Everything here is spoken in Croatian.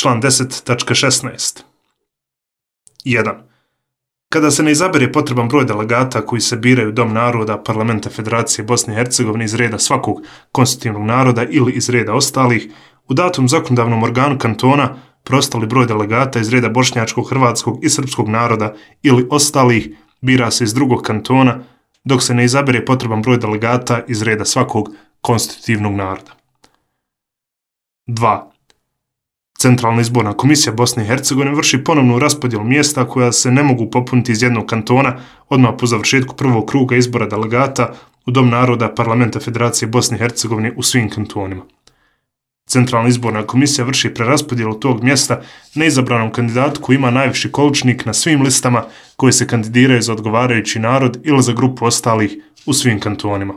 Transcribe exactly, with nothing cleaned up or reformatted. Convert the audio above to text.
Član deset tačka šesnaest. jedan. Kada se ne izabere potreban broj delegata koji se biraju u Dom naroda Parlamenta Federacije Bosne i Hercegovine iz reda svakog konstitutivnog naroda ili iz reda ostalih, u datom zakonodavnom organu kantona preostali broj delegata iz reda bošnjačkog, hrvatskog i srpskog naroda ili ostalih bira se iz drugog kantona, dok se ne izabere potreban broj delegata iz reda svakog konstitutivnog naroda. dva. Centralna izborna komisija Bosne i Hercegovine vrši ponovnu raspodjelu mjesta koja se ne mogu popuniti iz jednog kantona odmah po završetku prvog kruga izbora delegata u Dom naroda Parlamenta Federacije Bosne i Hercegovine u svim kantonima. Centralna izborna komisija vrši preraspodjelu tog mjesta neizabranom kandidatu koji ima najviši količnik na svim listama koje se kandidiraju za odgovarajući narod ili za grupu ostalih u svim kantonima.